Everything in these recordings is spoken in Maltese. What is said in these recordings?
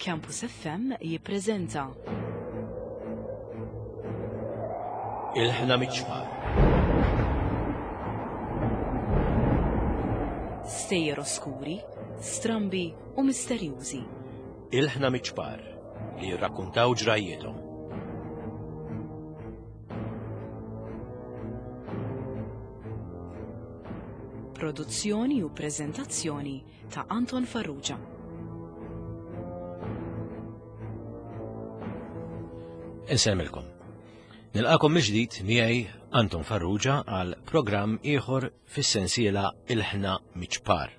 Campus FM jippreżenta. Il-ħna miċ-ċpar. Stejjer oskuri, strambi u misterjużi. Il-ħna miċ-ċpar li jirrakkuntaw ġrajjiethom. Produzzjoni u preżentazzjoni ta' Anton Farrugia. Insemmilkom. Nilqakom mill-ġdid miegħi Anton Farrugia għal programm ieħor fis-sensiela Il-ħna miċ-ċpar.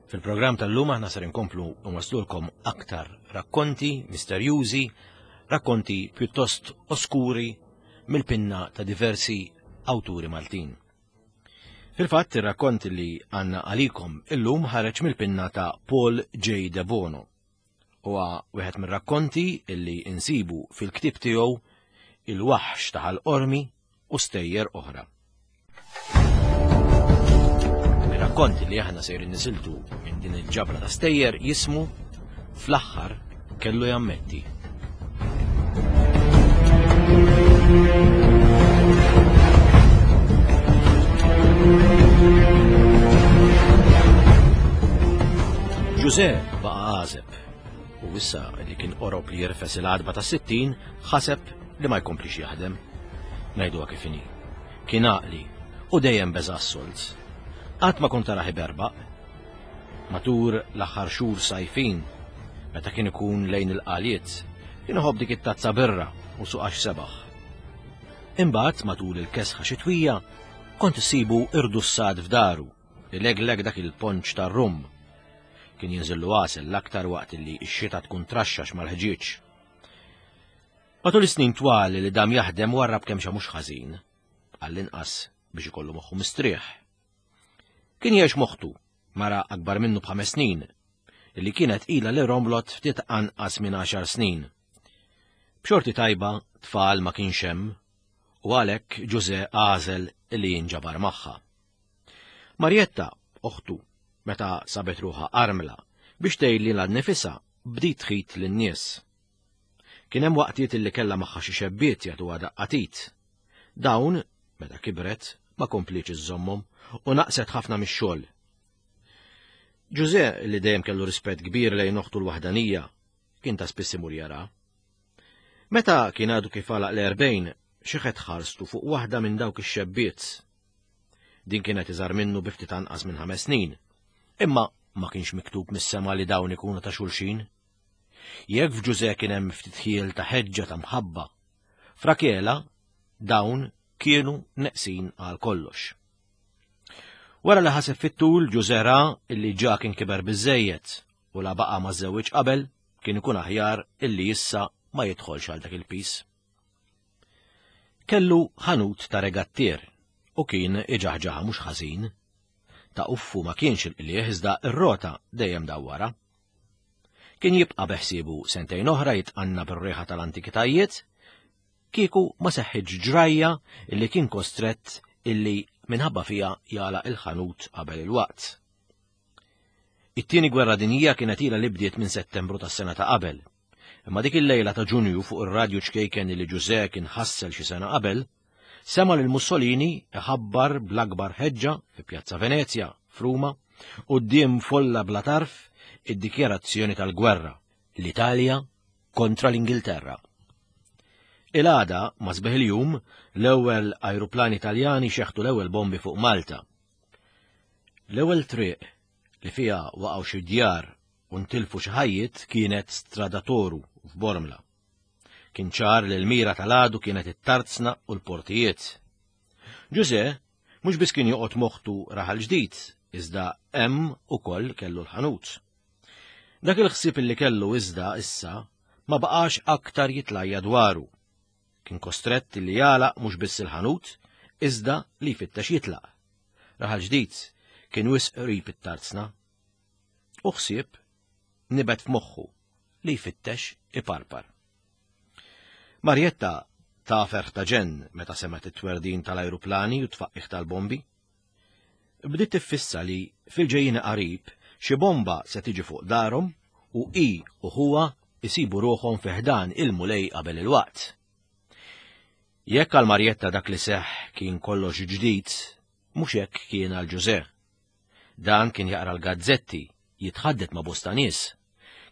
Fil-programm tal-lum aħna ser inkomplu nwaslulkom aktar rakkonti misterjużi, rakkonti pjuttost oskuri mill-pinna ta' diversi awturi Maltin. Fil-fatt ir-rakkont li għandna għalikom illum ħareġ mill-pinna ta' Paul J. Debono. Huwa wieħed mir-rakkonti illi insibu fil-ktieb tiegħu Il-Waħx ta' Ħal Qormi u stejjer oħra. Ir-rakkont li aħna sejrin nisiltu minn din il-ġabra ta' stejjer jismu Fl-aħħar kellu jammetti. Ġuże baqa' għażeb u issa li kien qorob li jirfes il-għadba ta' 60 ħaseb li ma jkomplix jaħdem. Ngħiduha kif inhi. Kien għaqli u dejjem beża' s-solz. Qatt ma kont taraħ iberbaq. Matur l-aħħar xhur sajfin, meta kien ikun lejn il-qaliet, kien iħobb dik it-tazza birra u suqax sebaħ. Imbagħad matul il-kesħa xitwija kont issibu irdussat f'daru, ilegleg dak il-ponċ tar-rum. Kien jinżillu għasel l-aktar waqt li x-xita tkun traxxax mal-ħġieġ. Matul is-snin twal li dam jaħdem warrab kemm xa mhux ħażin, għall-inqas biex ikollu moħħu mistrieħ. Kien jgħix moħħtu, mara akbar minnu b'ħames snin, li kienet ilha li romlot ftit anqas minn għaxar snin. B'xorti tajba tfal ma kienx hemm u għalhekk Ġuże għażel li jinġabar magħha. Marjetta, oħtu, meta sabet ruħha armla, biex tgħid lilha nnifisha bdiet tħit lin-nies. Kien hemm waqtiet illi kellha magħha xi xebbiet jagħtuha daqqa t'id. Dawn, meta kibret, ma komplietx iżżommhom u naqset ħafna mix-xogħol. Ġuże, li dejjem kellu rispett kbir lejn oħtu l-waħdanija, kien ta' spiss imur jara. Meta kien għadu kif għalaq l-erbgħin, xeħet ħarstu fuq waħda minn dawk ix-xebbiet. Din kienet iżgħar minnu bi ftit anqas minn ħames snin. Imma ma kienx miktub mis-sema li dawn ikunu ta' xulxin. Jekk f'Ġuże kien hemm ftit ħiel ta' ħeġġa ta' mħabba, f'Rakela dawn kienu neqsin għal kollox. Wara li ħaseb fit-tul Ġuże ra illi ġa kien kiber biżejjed u la baqa' ma żewwiġ qabel kien ikun aħjar illi issa ma jidħolx għal dak il-pis. Kellu ħanut ta' regattier u kien iġaħġaħa mhux ħażin. Ta' uffu ma kienx il-qliegħ iżda r-rota dejjem dawwara. Kien jibqa' beħsiebu sentejn oħra jitqanna bir-riħa tal-antikitajiet, kieku ma seħħitx ġrajja illi kien kostrett illi minħabba fiha jagħlaq il-ħanut qabel il-waqt. It-tieni gwerra dinjija kienet ilha li bdiet minn Settembru tas-sena ta' qabel. Imma dik il-lejla ta' Ġunju fuq ir-radju ċkejken li Ġużè kien ħassel xi sena qabel, sema' lil Mussolini iħabbar bl-akbar ħeġġa fi Pjazza Venezja, f'Ruma, quddiem folla bla tarf id-dikjarazzjoni tal-gwerra, l-Italja kontra l-Ingilterra. Il-għada, ma' sbieħ il-jum, l-ewwel ajruplani Taljani xeħtu l-ewwel bombi fuq Malta. L-ewwel triq li fiha waqgħu xi djar u ntilfu xi ħajjiet kienet Strada Toru f'Bormla. Kien ċar li l-mira tal-għadu kienet it-tarzna u l-portijiet. Ġuże mhux biss kien joqgħod moħħtu raħal ġdid, iżda hemm ukoll kellu l-ħanut. Dak il-ħsieb li kellu iżda issa ma baqax aktar jitlajja dwaru. Kien kostrett li jagħlaq mhux biss il-ħanut, iżda li jfittex jitlaq. Raħal ġdid kien wisq qrib it-tarzna. U ħsieb nibet f'moħħu li jfittex iparpar. Marjetta ta' ferħ ta' ġenn meta semgħet it-twerdin tal-ajruplani u tfaqqih tal-bombi. Bdiet tiffissa li fil-ġejjieni qarib xi bomba se tiġi fuq darhom u hi u ħuha jsibu ruħhom fi ħdan il-Mulej qabel il-waqt. Jekk għal Marjetta dak li seħħ kien kollox ġdid, mhux hekk kien għal Ġużè. Dan kien jaqra l-gazzetti, jitħaddet ma' bosta nies.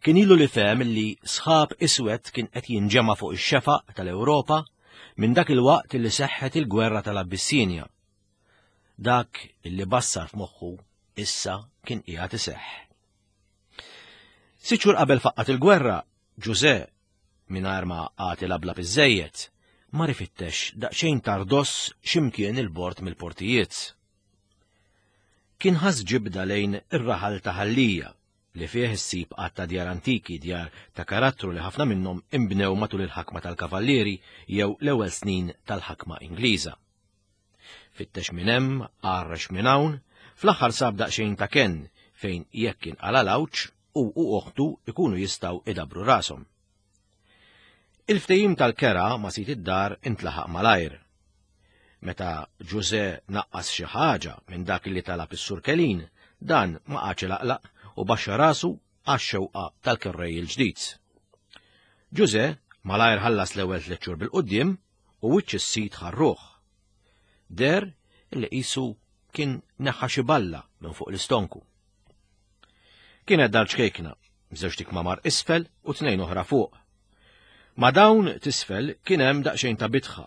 Kien ilu li fehem li sħab iswed kien qed jinġema' fuq ix-xefaq tal-Ewropa minn dak il-waqt li seħħet il-gwerra tal-Abbissinja. Dak li bassar f'moħħu issa kien qiegħed iseħħ. Sitt xhur qabel faqqat il-gwerra, Ġużè, mingħajr ma qagħad ilablab iżżejjed, mar ifittex daqsxejn tardoss x'imkien il-bord mill-portijiet. Kien ħass ġibda lejn ir-raħal ta' Ħal Lija, li fih issib għadd ta' djar antiki, djar ta' karattru li ħafna minnhom inbnew matul il-ħakma tal-Kavallieri jew l-ewwel snin tal-ħakma Ingliża. Fittex minn hemm, għarrex minn hawn, fl-aħħar sab daqsxejn ta' kenn fejn jekk inqala' l-għawġ, hu u oħtu jkunu jistgħu idabbru rashom. Il-ftehim tal-kera ma' sid id-dar intlaħaq malajr. Meta Ġużè naqqas xi ħaġa minn dak li talab is-Sur Kelin, dan ma qagħadx ilaqlaq u baxxa rasu għax-xewqa tal-kerrej il-ġdid. Ġużè malajr ħallas l-ewwel tliet xhur bil-quddiem u wiċċ is-sid ħarruh. Deher li qisu kien neħħa xi balla minn fuq l-istonku. Kienet dar ċkejkna, b'żewġt ikmamar isfel u tnejn oħra fuq. Ma' dawn t'isfel kien hemm daqsxejn ta' bitħa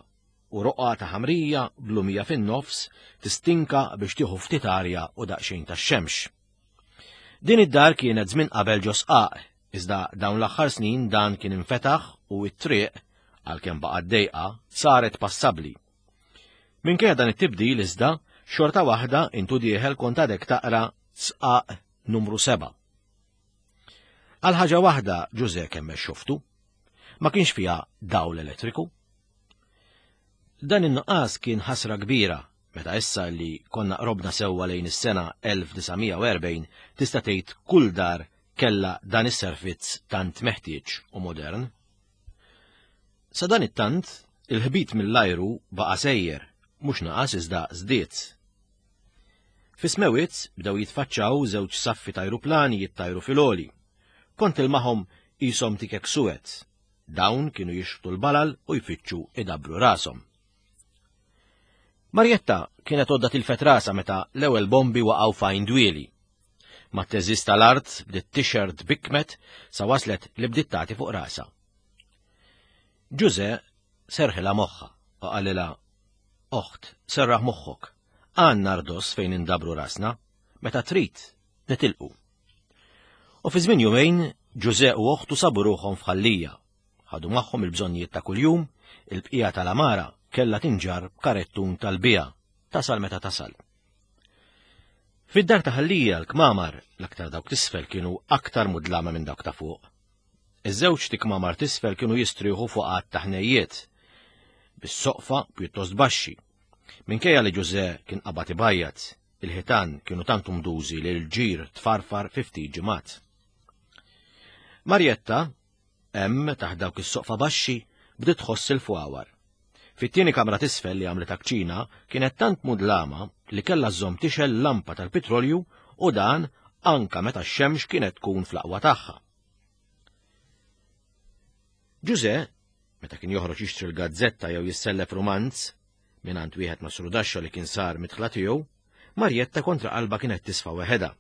u roqgħa ta' ħamrija blumija fin-nofs tistinka biex tieħu ftit arja u daqsxejn tax-xemx. Din id-dar kienet żmien qabel ġo sqaq, iżda dawn l-aħħar snin dan kien infetaħ u t-triq, għalkemm baqgħet dejqa, saret passabbli. Minkejja dan it-tibdil iżda, xorta waħda intu dieħel kont għadek taqra sqaq numru 7. Għal ħaġa waħda Ġużè kemmex xoftu, ma kienx fiha dawl elettriku. Dan in-nuqqas kien ħasra kbira meta issa li konna qrobna sewwa lejn is-sena 1940 tista' tgħid kull dar kellha dan is-servizz tant meħtieġ u modern. Sadanittant, il-ħbit mill-ajru baqa' sejjer, mhux naqas iżda żdied. Fis-smewwiet bdew jitfaċċaw żewġ saffi t'ajruplani jittajru fil-għoli. Kont tilmaħhom qishom tikek suwed. Dawn kienu jixħtu l-balal u jfittxu idabbru rashom. Marjetta kienet għodda tilfet rasha meta l-ewwel bombi waqgħu f'Għajn Dwieli. Mat-teżiż tal-art bdiet tixgħer tbikkmet sa waslet li bdiet tagħti fuq rasha. Ġużè serħilha moħħha u qalilha, Oħt, serraħ moħħok, għandna rdoss fejn indabbru rasna, meta trid, nitilqu. U fi żmien jumejn, Ġużè u oħtu sabu ruħhom f'Ħal Lija. Ħadu magħhom il-bżonnijiet ta' kuljum, il-bqija tal-għamara kellha tinġarr b'karettun tal-biegħa, tasal meta tasal. Fid-dar ta' Ħal Lija l-kmamar, l-aktar dawk t'isfel kienu aktar mudlama minn dawk ta' fuq. Iż-żewġt ikmamar t'isfel kienu jistrieħu fuq għadd ta' ħnejjiet, bis-soqfa pjuttost baxxi. Minkejja li Ġużè kien qabad ibajjad, il-ħitan kienu tant umdużi li l-ġir tfarfar fi ftit ġimgħat. Marjetta, hemm taħt dawk is-soqfa baxxi, bdiet tħoss il-fwawar. Fit-tieni kamra t'isfel li għamlitha kċina kienet tant mudlama li kellha żżomm tixgħel lampa tal-pitrolju u dan anka meta x-xemx kienet tkun fl-aqwa tagħha. Ġużè, meta kien joħroġ jixtri l-gazzetta jew jissellef rumanz mingħand wieħed masrudaxxa li kien sar midħla tiegħu, Marjetta kontra qalbha kienet tisfa' weħedha.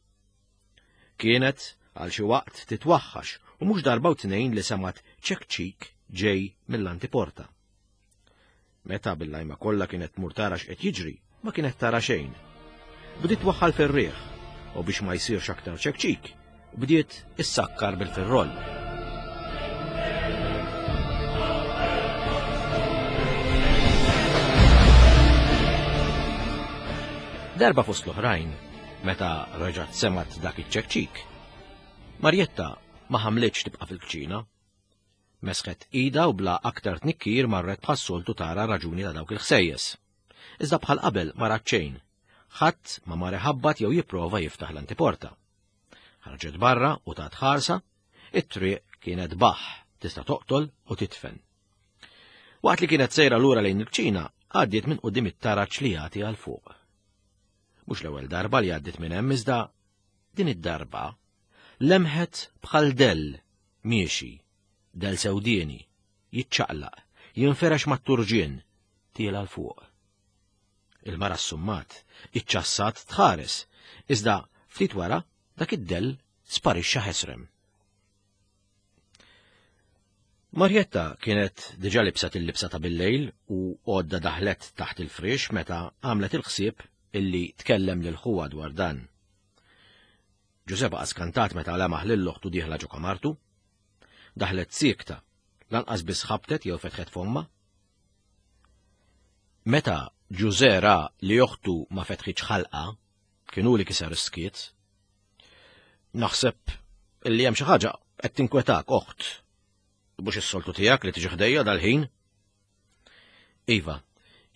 Kienet għal xi waqt titwaħħax u mhux darba u tnejn li semgħet ċekċik ġej mill-antiporta. Meta bil-lajma kollha kienet tmur tara x'qed jiġri, ma kienet tara xejn. Bdiet twaħħal fir-riħ u biex ma jsirx aktar ċekċik, bdiet issakkar bil-firroll. Darba fost l-oħrajn, meta reġgħet semgħet dak iċ-ċekċik, Marjetta ma ħamlitx tibqa' fil-kċina. Mesħet idha u bla aktar tnikkir marret bħas-soltu tara r-raġuni ta' dawk il-ħsejjes. Iżda bħal qabel ma rat xejn. Ħadd ma mar iħabbat jew jipprova jiftaħ l-antiporta. Ħarġet barra u tat ħarsa, it-triq kienet baħ, tista' toqtol u titfen. Waqt li kienet sejra lura lejn il-kċina, għaddiet minn quddiem it-taraġ li jagħti għal fuq. Mhux l-ewwel darba li għaddiet minn hemm iżda din id-darba. lemħet bħal dell miexi, dell sewdieni, jiċċaqlaq, jinferex mat-turġien, tiela 'l fuq. Il-mara ssummat, iċċassat tħares, iżda ftit wara dak id-dell sparixxa ħesrem. Marjetta kienet diġa libset il-libsa ta' billejl u għodda daħlet taħt il-friex meta għamlet il-ħsieb illi tkellem lil ħuha dwar dan. Ġuże baqa' skantat meta lemaħ lil oħtu dieħla ġo kamartu. Daħlet siekta, lanqas biss ħabtet jew fetħet fomma. Meta Ġuże ra li oħtu ma fetħitx ħalqa, kien hu li kiser is-skiet. Naħseb illi hemm xi ħaġa qed tinkwetak, oħt. Mhux is-soltu tiegħek li tiġi ħdejja dal-ħin. Iva,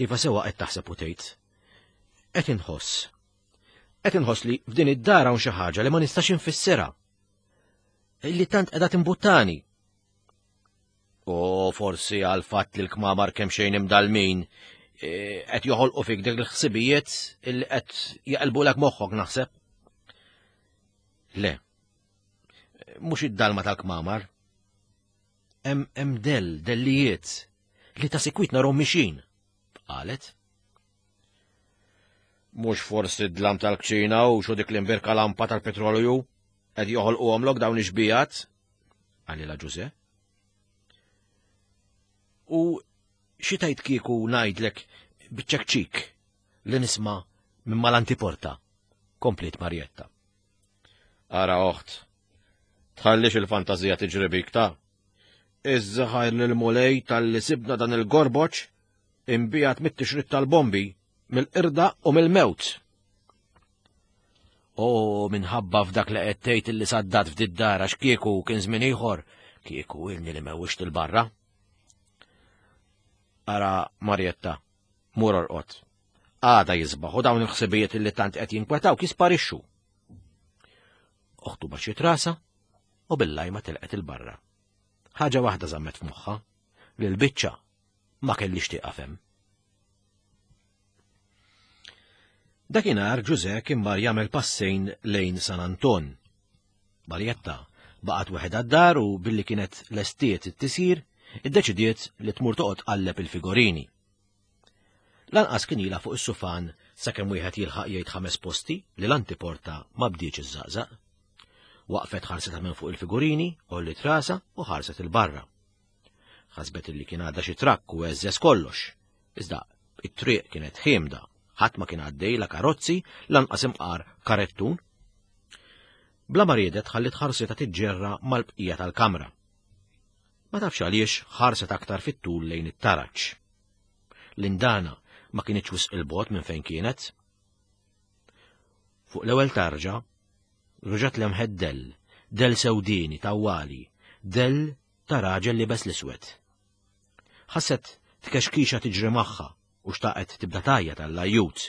iva sewa qed taħseb u tgħid. Qed inħoss. Qed inħoss li f'din id-dar hawn xi ħaġa li ma nistax infissirha. Illi tant qiegħda timbuttani. U forsi għal fatt li l-kmamar kemm xejn imdalmin e, qed joħolqu fik dik il-ħsibijiet illi qed jaqilbulek moħħok naħseb. Le. Mhux id-dalma tal-kmamar. Hemm del, dellijiet li ta' sikwit narhom mixin, qalet. Mhux forsi d-dlam tal-kċina u xu dik l-imbirka lampa tal-petrolju qed joħolquhomlok dawn ix-xbijat? Qalilha Ġuże. U xi tgħid kieku ngħidlek biċ-ċekċik li nisma' minn mal-antiporta, kompliet Marjetta. Ara oħt, tħallix il-fantażija tiġri bik ta' Iżżaħajr lil-Mulej talli sibna dan il-gorboċ imbijat mit-tixrid tal-bombi, mill-qirda u mill-mewt. O minħabba f'dak li qed tgħid illi saddat f'did dar għax kieku kien żmien ieħor, kieku ilni li mewwixt il-barra. Ara Marjetta, mur orqod. Għada jisbaħ u dawn il-ħsibijiet illi tant qed jinkwetaw jisparixxu. Oħtu baxxiet rasa u bil-lajma telqet il-barra. Ħaġa waħda żammet f'moħħha, li l-biċċa ma kellix tieqaf hemm. Dakinhar Ġużè kien mar jagħmel passejn lejn San Anton. Marjetta baqgħet weħedha d-dar u billi kienet lestiet it-tisir, iddeċidiet li tmur toqgħod tqalleb il-figorini. Lanqas kien ilha fuq is-sufan sakemm wieħed jilħaq jgħid ħames posti li l-antiporta ma bdietx iżżaqżaq. Waqfet ħarsetha minn fuq il-figurini, għolliet rasha u ħarset 'il barra. Ħasbet illi kien għadda xi trakk u għeżżeż kollox. Iżda it-triq kienet ħiemda, ħadd ma kien għaddej la karozzi lanqas imqar karettun. Bla ma riedet ħalliet ħarsitha tiġġerra mal-bqija tal-kamra. Ma tafx għaliex ħarset aktar fit-tul lejn it-taraġ. L-indana ma kinitx wisq il-bogħod minn fejn kienet. Fuq l-ewwel tarġa, reġgħet lemħet dell, dell sewdieni tawwali, dell ta' raġel libes l-iswed. Ħasset tkexkixa tiġri magħha u xtaqet tibda tgħajjat għall-ajjut.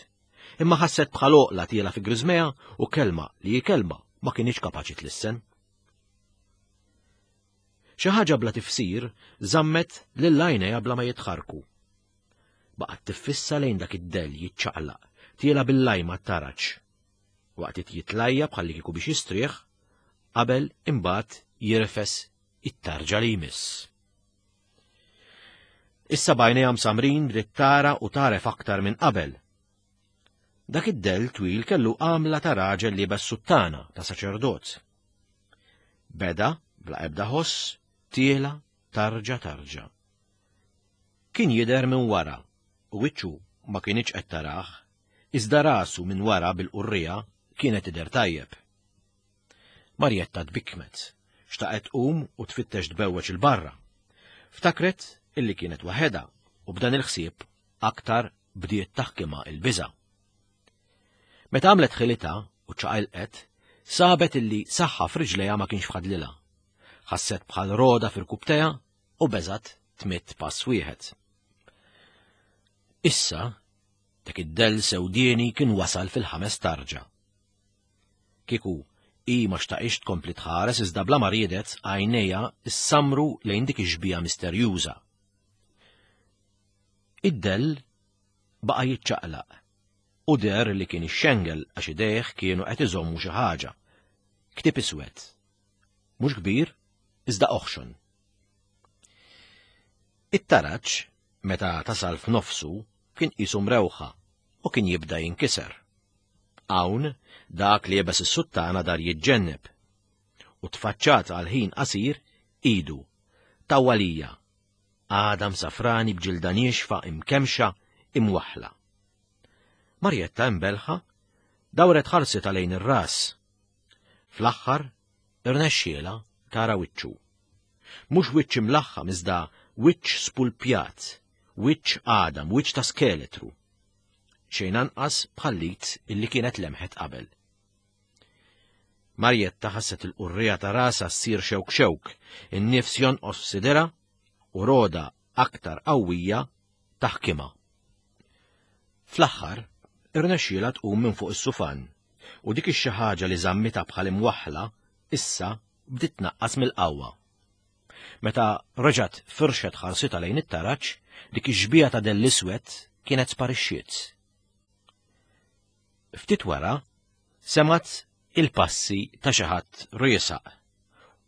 Imma ħasset bħal oqla tiela fi griżmejha u kelma li hi kelma ma kinitx kapaċi tlissen. Xi ħaġa bla tifsir żammet lil għajnejha bla ma jitħarrku. Baqgħet tiffissa lejn dak id-dell jiċċaqlaq, tiela' bil-lajma t-taraġ. Waqt jitlajja bħalli kieku biex jistrieħ, qabel imbagħad jirfes it-tarġa li jmiss. Issa b'għajnejha msamrin bdiet tara u tagħref aktar minn qabel. Dak id-dell twil kellu għamla ta' raġel liebes suttana ta' saċerdot. Beda, bla ebda ħoss, tiela tarġa tarġa. Kien jidher minn wara u wiċċu ma kinitx qed tarah, iżda rasu minn wara bil-qurriegħa kienet tidher tajjeb. Marjetta tbikkmet, xtaqet tqum u tfittex tbewweġ 'il barra. Ftakret illi kienet waħedha u b'dan il-ħsieb aktar bdiet taħkimha il-biża'. Meta għamlet ħilitha u ċaqilqet, sabet illi saħħa f'riġlejha ma kienx fadlilha. Ħasset bħal roda f'irkubtejha u beżgħet tmidd pass wieħed. Issa, dak id-dell sewdieni kien wasal fil-ħames tarġa. Kieku hi ma xtaqitx tkompli tħares iżda bla ma riedet għajnejha ssamru lejn dik ix-xbieha misterjuża. Id-dell baqa' jiċċaqlaq u deher li kien ixxengel għax idejh kienu qed iżommu xi ħaġa. Ktieb iswed. Mhux kbir, iżda oħxon. It-taraġ, meta tasal f'nofsu, kien qisu mrewħa u kien jibda jinkiser. Hawn, dak li jebes is-suttana dar jiġġenneb. U tfaċċat għal ħin qasir idu, tawwalija, għadam safrani b'ġilda niexfa imkemxa imwaħħla. Marjetta imbelħa dawret ħarsitha lejn ir-ras. Fl-aħħar irnexxielha tara wiċċu. Mhux wiċċ imlaħħam iżda wiċċ spulpjat, wiċċ għadam, wiċċ ta' skeletru. Xejn anqas bħal-lit illi kienet lemħet qabel. Marjetta ħasset il-qurrija ta' rasha ssir xewk xewk, in-nifs jonqos f'sidirha u roda aktar qawwija taħkimha. Fl-aħħar, irnexxielha tqum minn fuq is-sufan u dik ix-xi ħaġa li żammitha bħal imwaħħla issa bdiet tnaqqas mill-qawwa. Meta reġgħet firxet ħarsitha lejn it-taraġ, dik ix-xbieha ta' dell iswed kienet sparixxiet. Ftit wara, semgħet il-passi ta' xi ħadd riesaq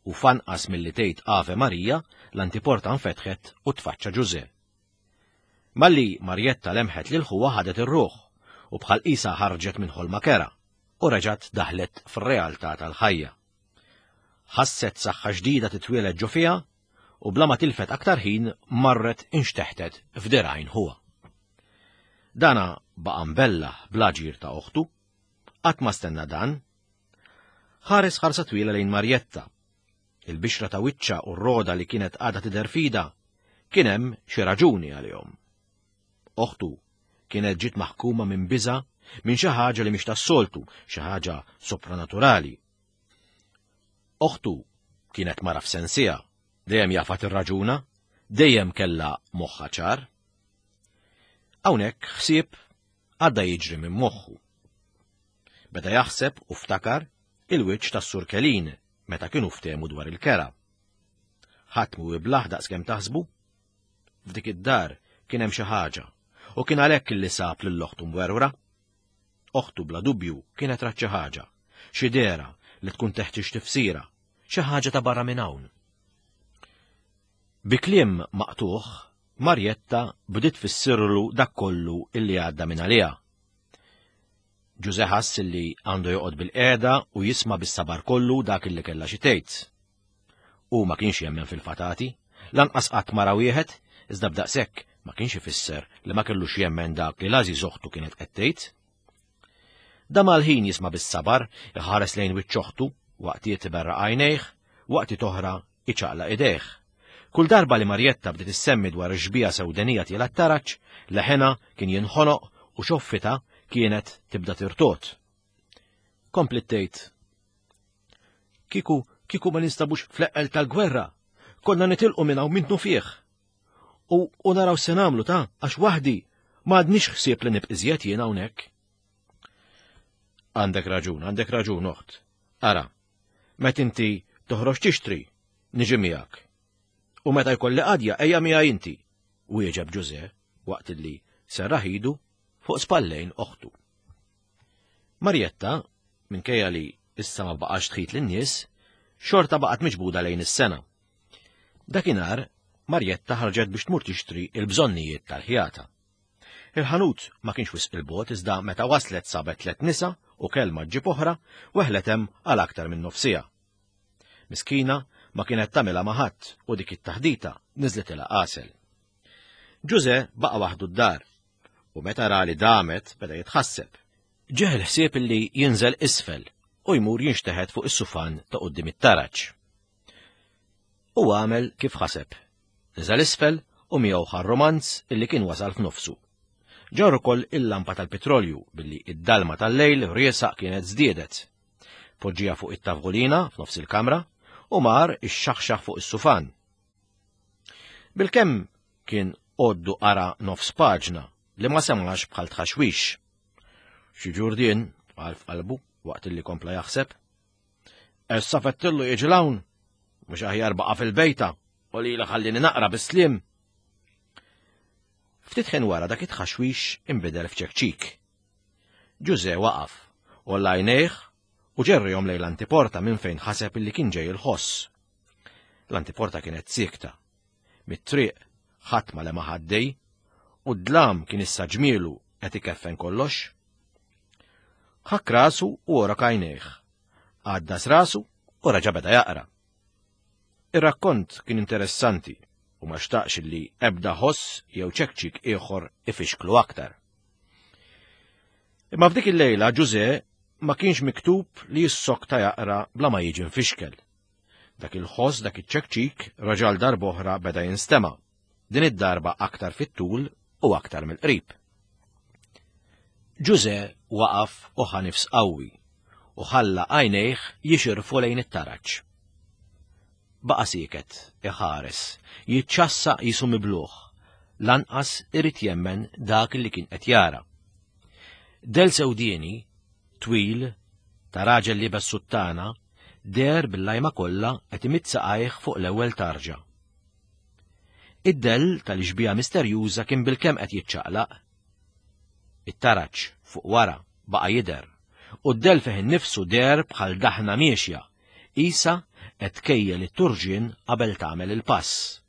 u f'anqas milli tgħid Ave Marija, l-antiporta nfetħet u tfaċċa Ġużè. Malli Marjetta lemħet lil ħuha ħadet ir-ruħ u bħal qisha ħarġet minn ħolma kerha u reġgħet daħlet fir-realtà tal-ħajja. Ħasset saħħa ġdida titwieled ġo fiha u bla ma tilfet aktar ħin marret inxteħtet f'dirgħajn ħuha. Dana baqa' mbellah bl-aġir ta' oħtu, qatt ma stenna dan. Ħares ħarsa twila lejn Marjetta Il-bixra ta' wiċċha u r-roda li kienet għadha tidher f'idha kien hemm xi raġuni għalihom. Oħtu kienet ġiet maħkuma minn biża' minn xi ħaġa li mhix tas-soltu, xi ħaġa sopranaturali. Oħtu kienet mara f'sensiha, dejjem jafha tirraġuna, dejjem kellha moħħha ċar. Hawnhekk ħsieb għadda jiġri minn moħħu. Beda jaħseb u ftakar il-wiċċ tas-Sur Kelin meta kienu ftehmu dwar il-kera. Ħadd mhu iblah daqskemm taħsbu. F'dik id-dar kien hemm xi ħaġa u kien għalhekk li sab lil oħtu mwerwra. Oħtu bla dubju kienet rat xi ħaġa, xi dehra li tkun teħtieġ tifsira, xi ħaġa ta' barra minn hawn. Bi kliem maqtugħ, Marjetta bdiet tfissirlu dak kollu illi għadda minn għaliha. Ġużè ħass illi għandu joqgħod bilqiegħda u jisma' bis-sabar kollu dak illi kellha xi tgħid. Hu ma kienx jemmen fil-fatati, lanqas qatt ma ra wieħed, iżda b'daqshekk ma kienx ifisser li ma kellux jemmen dak li l-għażiż oħtu kienet qed tgħid. Dam għal ħin jisma' bis-sabar, iħares lejn wiċċ oħtu, waqtiet iberraq għajnejh, waqtiet oħra iċaqlaq idejh. Kull darba li Marjetta bdiet issemmi dwar ix-xbieha sewdenija tiela' t-taraġ, leħenha kien jinħonoq u xoffitha kienet tibda tirtogħod. Kompliet tgħid, Kieku, kieku ma ninstabux fl-eqqel tal-gwerra, konna nitilqu minn hawn minnufih. U, u naraw se nagħmlu ta' għax waħdi ma għadnix ħsieb li nibq iżjed jien hawnhekk. Għandek raġun, għandek raġun, oħt. Ara, Met inti toħroġ tixtri, niġi miegħek. U meta jkolli qadja ejja miegħi inti, wieġeb Ġużè waqt li serraħ idu fuq spallejn oħtu. Marjetta, minkejja li issa ma baqax tħit lin-nies, xorta baqgħet miġbuda lejn is-sena. Dakinhar, Marjetta ħarġet biex tmur tixtri il-bżonnijiet tal-ħjata. Il-ħanut ma kienx wisq 'il bogħod iżda meta waslet sabet tlett nisa u kelma ġġib oħra weħlet hemm għal aktar minn nofs siegħa. Miskina ma kienet tagħmilha ma' ħadd u dik it-taħdita niżlitilha għasel. Ġużè baqa' waħdu d-dar u meta ra li damet beda jitħasseb. Ġieħ il-ħsieb li jinżel isfel u jmur jinxteħet fuq is-sufan ta' quddiem it-taraġ. U għamel kif ħaseb. Niżel isfel u miegħu ħa r-rumanz illi kien wasal f'nofsu. Ġarr ukoll il-lampa tal-pitrolju billi id-dalma tal-lejl riesaq kienet żdiedet. Poġġiha fuq it-tavgolina f'nofs il-kamra u mar ixxaħxaħ fuq is-sufan. Bilkemm kien għoddu qara nofs paġna li ma semax bħal tħaxwix. Xi ġurdien, qal f'qalbu waqt illi kompla jaħseb. Issa fettillu jiġi l-hawn, mhux aħjar baqa' fil-bejta u li ħallini naqra bis-slim. Ftit ħin wara dak it-tħaxwix inbidel f'ċekċik. Ġuże waqaf, u lajnejh u ġerrihom lejn l-antiporta minn fejn ħaseb illi kien ġej il-ħoss. L-antiporta kienet siekta. Mit-triq ħadd ma lema ħaddej u d-dlam kien issa ġmielu qed ikeffen kollox. Ħakk rasu u għorok għajnejh. Għaddas rasu u raġa' beda jaqra. Ir-rakkont kien interessanti u ma xtaqx li ebda ħoss jew ċekċik ieħor ifixklu aktar. Imma f'dik il-lejla Ġuże ma kienx miktub li jissokta jaqra bla ma jiġi mfixkel. Dak il-ħoss, dak iċ-ċekċik, raġal darb'oħra beda jinstema', din id-darba aktar fit-tul u aktar mill-qrib. Ġuże waqaf u ħa nifs qawwi u ħalla għajnejh jixirfu lejn it-taraġ. Baqa' sieket, iħares, jiċċassa qisu mibluh, lanqas irid jemmen dak li kien qed jara. Del sewdieni, twil, ta' raġel liebes suttana, deher bil-lajma kollha qed imidd saqajh fuq l-ewwel tarġa. Id-dell tal-ixbieha misterjuża kien bilkemm qed jiċċaqlaq. It-taraġ fuq wara baqa' jidher, u d-dell fih innifsu deher bħal daħna miexja, qisha qed tkejjel it-turġien qabel tagħmel il-pass.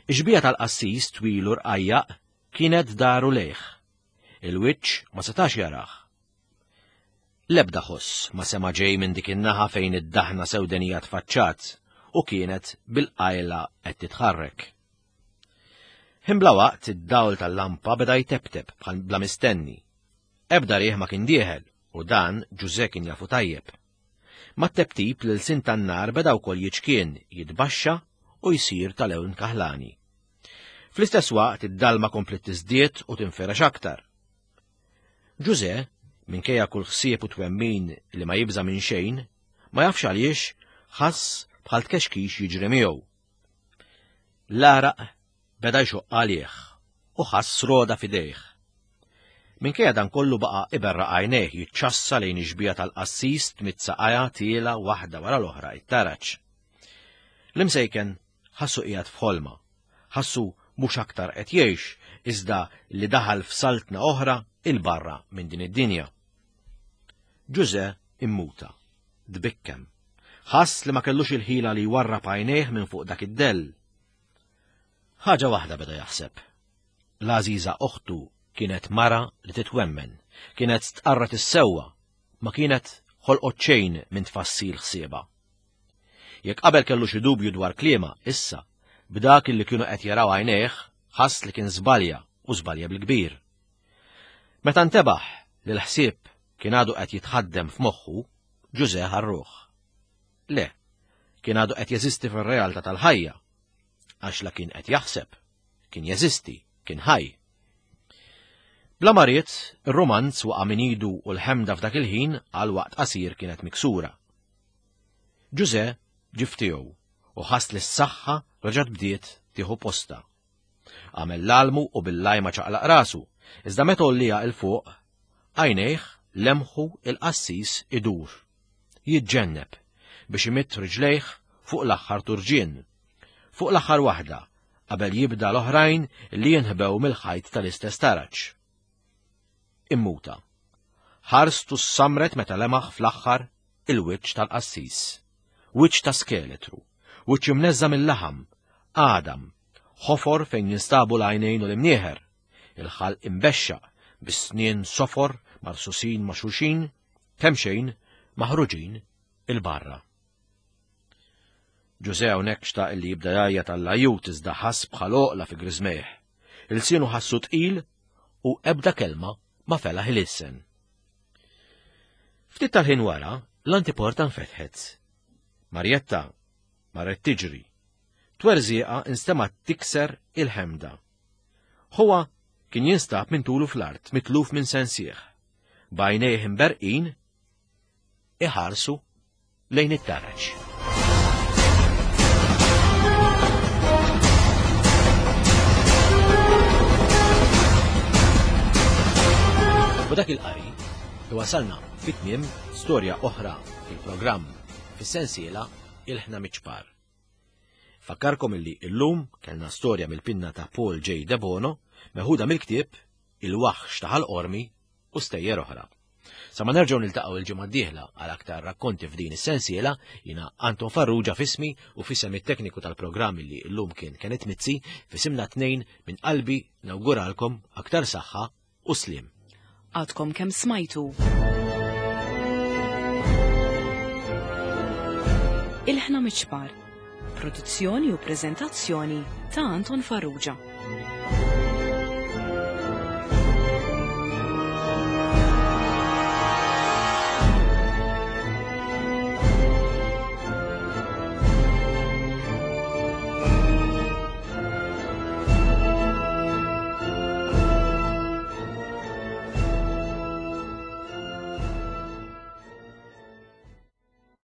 Ix-xbieha tal-qassis twil u rqajjaq kienet daru lejh. Il-wiċċ ma setax jarah. L-ebda ħoss ma sema' ġej minn dik in-naħa fejn id-daħna sewdenija tfaċċat u kienet bil-qajla qed titħarrek. Ħin bla waqt id-dawl tal-lampa beda jteptep bħal bla mistenni. Ebda riħ ma kien dieħel u dan Ġużè kien jafu tajjeb. Mat-teptip l-ilsien tan-nar beda wkoll jiċkien, jitbaxxa u jsir ta' lewn kaħlani. Fl-istess waqt id-dalma kompliet tiżdied u tinfirex aktar. Ġużè, minkejja kull ħsieb u twemmin li ma jibża' minn xejn, ma jafx għaliex ħass bħal tkexkix jiġri miegħu. L-għaraq beda jxoqq għalih u ħass roda f'idejh. Minkejja dan kollu baqa' iberraq għajnejh jiċċassa lejn ix-xbieha tal-qassis tmidd saqajha tiela' waħda wara l-oħra it-taraġ. L-imsejken ħassu qiegħed f'ħolma. Ħassu mhux aktar qed jgħix, iżda li daħal f'saltna oħra 'il barra minn din id-dinja. Ġużè immuta, tbikkem. Ħass li ma kellux il-ħila li jwarrab għajnejh minn fuq dak id-dell. Ħaġa waħda beda jaħseb. L-għażiża oħtu kienet mara li titwemmen, kienet stqarret is-sewwa, ma kienet ħolqot xejn minn tfassil ħsiebha. Jekk qabel kellu xi dubju dwar kliemha, issa, b'dak li kienu qed jaraw għajnejh, ħass li kien żbalja u żbalja bil-kbir. Meta ntebaħ li l-ħsieb kien għadu qed jitħaddem f'moħħu, Ġużè ħa r-ruħ. Le, kien għadu qed jeżisti fir-realtà tal-ħajja, għax la kien qed jaħseb, kien jeżisti, kien ħaj. Bla ma ried, ir-rumanz waqa' minn idu u l-ħemda f'dak il-ħin għal waqt qasir kienet miksura. Ġużè ġie f'tiegħu u ħass li s-saħħa reġgħet bdiet tieħu postha. Għamel l-almu u bil-lajma ċaqlaq rasu, iżda meta għolliha 'l fuq, għajnejh lemħu il-qassis idur, jiġġenneb biex imidd riġlejh fuq l-aħħar turġien, fuq l-aħħar waħda qabel jibda l-oħrajn li jinħbew mill-ħajt tal-istess taraġ. Immuta. Ħarstu ssamret meta lemaħ fl-aħħar il-wiċċ tal-qassis. Wiċċ ta' skeletru, wiċċ imneżża' mill-laħam, għadam, ħofor fejn jinstabu l-għajnejn u l-imnieħer, il-ħalq imbexxaq bis-snien sofor marsusin ma' xulxin, kemxejn maħruġin 'il barra. Ġużè hawnhekk xtaq li jibda jgħajjat għall-ajjut iżda ħass bħal għoqla fi griżmejh. Ilsienu ħassu tqil u ebda kelma ma felaħ ilissen. Ftit tal-ħin wara, l-antiporta nfetħet. Marjetta marret tiġri. Twerżieqa instemgħet tikser il-ħemda. Ħuha kien jinstab minn tulu fl-art, mitluf minn sensieħ. B'għajnejh imberqin iħarsu lejn it-taraġ. U dak il-qari iwasalna fit-tmiem storja oħra fil-programm fis-sensiela Il-Ħna Miċpar. Fakkarkom illi illum kellna storja mill-pinna ta' Paul J. Debono meħuda mill-ktieb Il-Waħx ta' Ħal Qormi u stejjer oħra. Sa ma nerġgħu niltaqgħu il-ġimgħa d-dieħla għal aktar rakkonti f'din is-sensiela, jiena Anton Farrugia f'ismi u f'isem it-tekniku tal-programm li llum kien Kenneth Mizzi, f'isimna tnejn minn qalbi nawguralkom aktar saħħa u sliem. Għadkom kemm smajtu. Ilħna Miċpar. Produzzjoni u preżentazzjoni ta' Anton Farrugia.